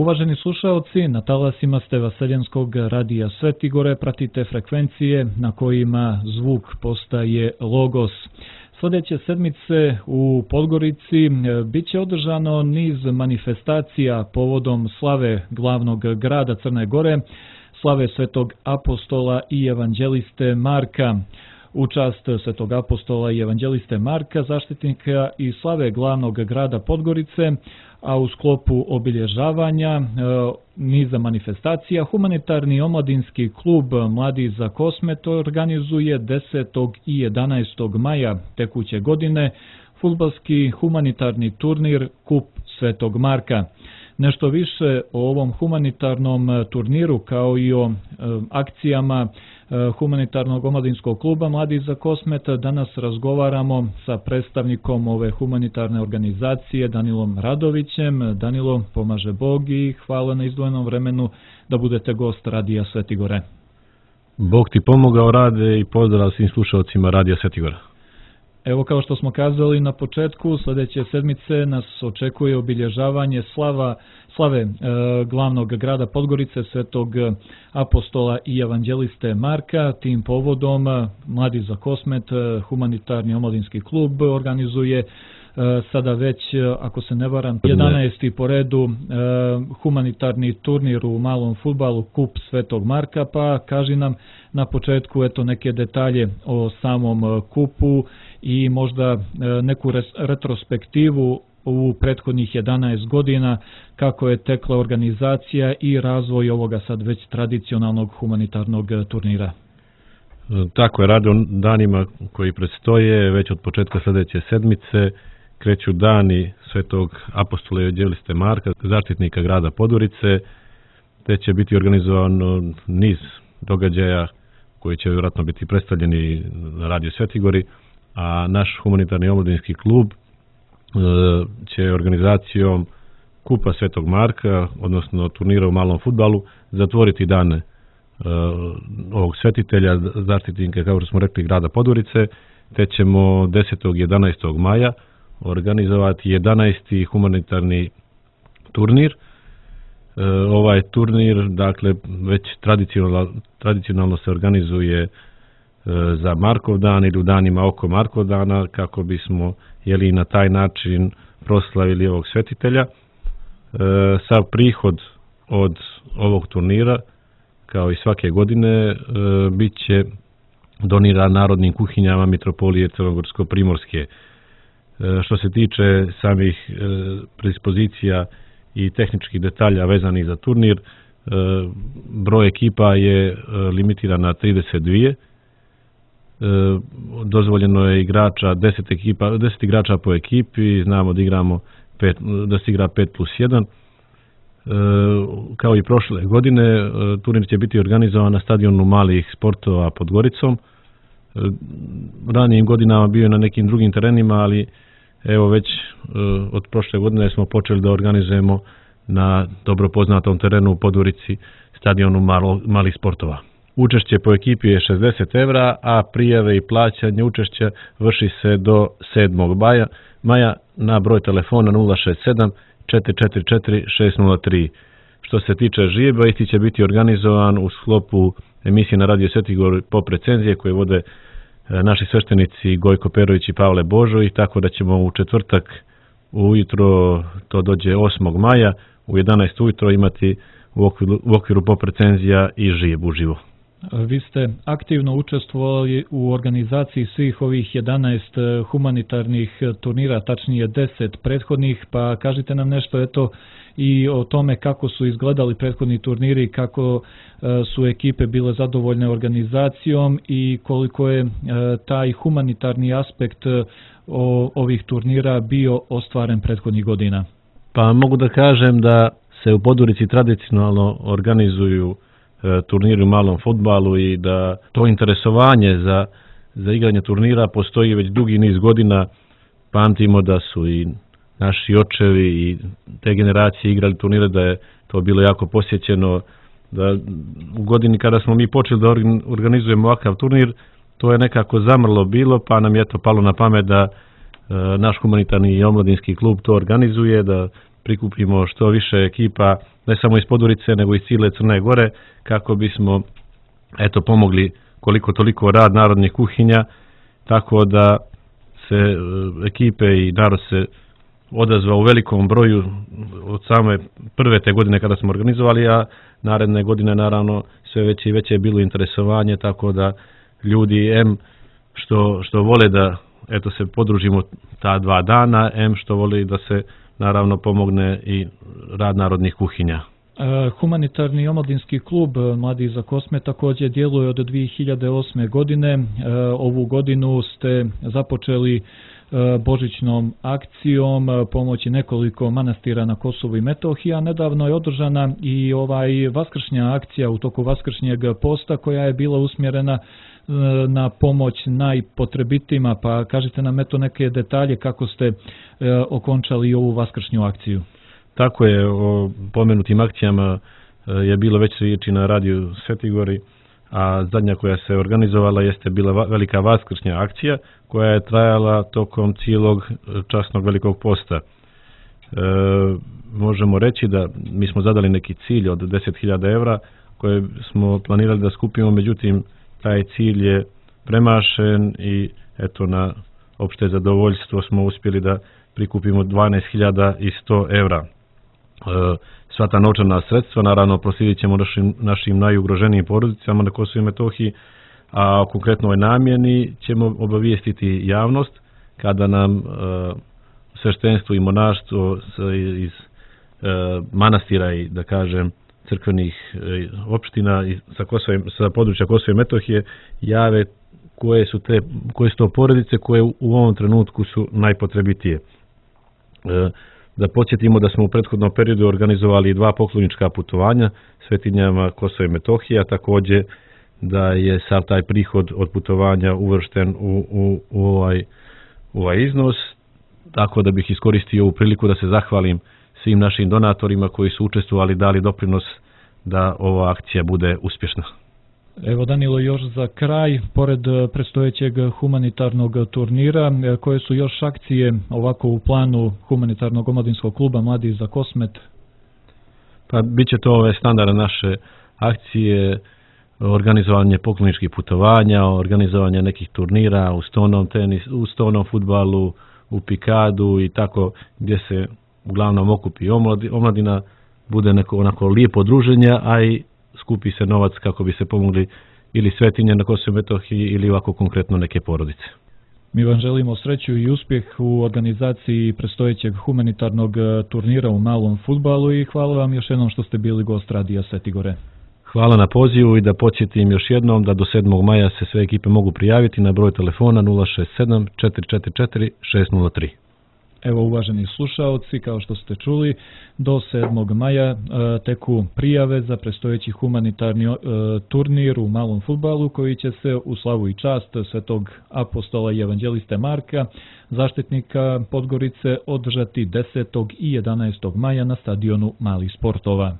Uvaženi slušaoci, na talasima ste Vaseljenskog radija Svetigore, pratite frekvencije na kojima zvuk postaje logos. Sljedeće sedmice u Podgorici bit će održano niz manifestacija povodom slave glavnog grada Crne Gore, slave Svetog apostola i evanđeliste Marka. U čast Svetog apostola i evanđeliste Marka, zaštitnika i slave glavnog grada Podgorice, a u sklopu obilježavanja niza manifestacija, humanitarni omladinski klub Mladi za Kosmet organizuje 10. i 11. maja tekuće godine fudbalski humanitarni turnir Kup Svetog Marka. Nešto više o ovom humanitarnom turniru kao i o akcijama humanitarnog omladinskog kluba Mladi za Kosmet danas razgovaramo sa predstavnikom ove humanitarne organizacije Danilom Radovićem. Danilo, pomaže Bog i hvala na izdvojenom vremenu da budete gost Radija Svetigore. Bog ti pomogao, Rade, i pozdrav svim slušalcima Radija Svetigora. Evo, kao što smo kazali na početku, sljedeće sedmice nas očekuje obilježavanje slave glavnog grada Podgorice, Svetog apostola i evanđeliste Marka. Tim povodom Mladi za Kosmet, humanitarni omladinski klub, organizuje sada već, ako se ne varam, 11. po redu humanitarni turnir u malom fudbalu Kup Svetog Marka, pa kaži nam na početku neke detalje o samom kupu i možda neku retrospektivu u prethodnih 11 godina kako je tekla organizacija i razvoj ovoga sad već tradicionalnog humanitarnog turnira. Tako je, Rade, danima koji predstoje, već od početka sljedeće sedmice kreću dani Svetog apostola i evanđeliste Marka, zaštitnika grada Podgorice, te će biti organizovano niz događaja koji će vjerojatno biti predstavljeni na Radiju Svetigori, a naš humanitarni omladinski klub će organizacijom Kupa Svetog Marka, odnosno turnira u malom fudbalu, zatvoriti dane ovog svetitelja, zaštitnika, kao što smo rekli, grada Podgorice, te ćemo 10. i 11. maja organizovati 11. humanitarni turnir. Ovaj turnir, dakle, već tradicionalno se organizuje za Markov dan ili u danima oko Markov dana, kako bismo na taj način proslavili ovog svetitelja. Sav prihod od ovog turnira, kao i svake godine, bit će doniran narodnim kuhinjama Mitropolije Crnogorsko-Primorske. Što se tiče samih predispozicija i tehničkih detalja vezanih za turnir, broj ekipa je limitiran na 32. Dozvoljeno je igrača 10 igrača po ekipi, znamo da se igra 5+1. Kao i prošle godine, turnir će biti organizovan na stadionu malih sportova pod Goricom. Ranijim godinama bio je na nekim drugim terenima, ali evo već od prošle godine smo počeli da organizujemo na dobro poznatom terenu u Podgorici, stadionu malih sportova. Učešće po ekipi je 60 evra, a prijave i plaćanje učešća vrši se do 7. maja na broj telefona 067 444 603. Što se tiče žijeba, isti će biti organizovan u sklopu emisije na Radio Svetigor Pop recenzije koje vode naši sveštenici Gojko Perović i Pavle Božo, i tako da ćemo u četvrtak ujutro, to dođe 8. maja, u 11 ujutro imati u okviru Pop recenzija i žijeb uživo. Vi ste aktivno učestvovali u organizaciji svih ovih 11 humanitarnih turnira, tačnije 10 prethodnih, pa kažite nam nešto i o tome kako su izgledali prethodni turniri, kako su ekipe bile zadovoljne organizacijom i koliko je taj humanitarni aspekt ovih turnira bio ostvaren prethodnih godina. Pa mogu da kažem da se u Podgorici tradicionalno organizuju turniri u malom fudbalu i da to interesovanje za igranje turnira postoji već dugi niz godina. Pamtimo da su i naši očevi i te generacije igrali turnire, da je to bilo jako posjećeno. Da u godini kada smo mi počeli da organizujemo ovakav turnir, to je nekako zamrlo bilo, pa nam je to palo na pamet da naš humanitarni i omladinski klub to organizuje, da prikupimo što više ekipa, ne samo iz Podgorice, nego iz cijele Crne Gore, kako bismo pomogli koliko toliko rad narodnih kuhinja, tako da se ekipe i narod se odazvao u velikom broju od same prve te godine kada smo organizovali, a naredne godine naravno sve veće i veće je bilo interesovanje, tako da ljudi što vole da se podružimo ta 2 dana, što vole da se naravno pomogne i rad narodnih kuhinja. Humanitarni omladinski klub Mladi za Kosme također djeluje od 2008. godine. Ovu godinu ste započeli božićnom akcijom pomoći nekoliko manastira na Kosovu i Metohiji, a nedavno je održana i vaskršnja akcija u toku vaskršnjeg posta koja je bila usmjerena na pomoć najpotrebitijima, pa kažite nam neke detalje kako ste okončali ovu vaskršnju akciju. Tako je, o pomenutim akcijama je bilo već riječi na radiju Svetigori, a zadnja koja se organizovala jeste bila velika vaskršnja akcija koja je trajala tokom cijelog časnog velikog posta. Možemo reći da mi smo zadali neki cilj od 10.000 evra koje smo planirali da skupimo, međutim taj cilj je premašen i na opšte zadovoljstvo smo uspjeli da prikupimo 12.100 evra. Sva ta novčana sredstva naravno proslijedit ćemo našim najugroženijim porodicama na Kosovu i Metohiji, a o konkretnoj namjeni ćemo obavijestiti javnost kada nam sveštenstvo i monaštvo iz manastira i da kažem crkvenih opština sa područja Kosova i Metohije jave koje su to porodice koje u ovom trenutku su najpotrebitije. Da podsjetimo da smo u prethodnom periodu organizovali 2 poklonička putovanja svetinjama Kosova i Metohija, također da je sav taj prihod od putovanja uvršten u ovaj iznos, tako da bih iskoristio ovu priliku da se zahvalim svim našim donatorima koji su učestvovali, dali doprinos da ova akcija bude uspješna. Evo Danilo, još za kraj, pored predstojećeg humanitarnog turnira, koje su još akcije ovako u planu humanitarnog omladinskog kluba Mladi za Kosmet? Pa bit će to ove standardne naše akcije, organizovanje pokloničkih putovanja, organizovanje nekih turnira u stonom tenisu, u stonom fudbalu, u pikadu i tako, gdje se uglavnom okupi omladina, bude neko onako lijepo druženje, a i skupi se novac kako bi se pomogli ili svetinje na Kosovu i Metohiji ili ovako konkretno neke porodice. Mi vam želimo sreću i uspjeh u organizaciji predstojećeg humanitarnog turnira u malom fudbalu i hvala vam još jednom što ste bili gost Radija Svetigore. Hvala na pozivu i da podsjetim još jednom da do 7. maja se sve ekipe mogu prijaviti na broj telefona 067 444 603. Evo, uvaženi slušaoci, kao što ste čuli, do 7. maja teku prijave za predstojeći humanitarni turnir u malom fudbalu koji će se u slavu i čast svetog apostola i evanđeliste Marka, zaštitnika Podgorice, održati 10. i 11. maja na stadionu Malih sportova.